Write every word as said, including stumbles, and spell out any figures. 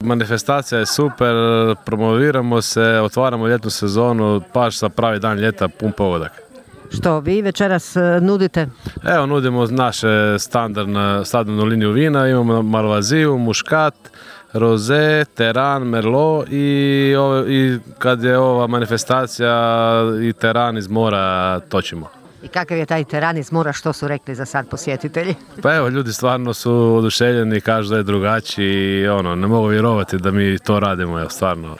Manifestacija je super, promoviramo se, otvaramo ljetnu sezonu, baš za pravi dan ljeta, pun pogodak. Što vi večeras nudite? Evo, nudimo naše standardne, standardnu liniju vina, imamo Malvaziju, Muškat, Roze, Teran, Merlot i, ove, i kad je ova manifestacija i Teran iz mora točimo. I kakav je taj Teran iz mora, što su rekli za sad posjetitelji? Pa evo, ljudi stvarno su oduševljeni, kažu da je drugačiji i ono, ne mogu vjerovati da mi to radimo, evo, stvarno.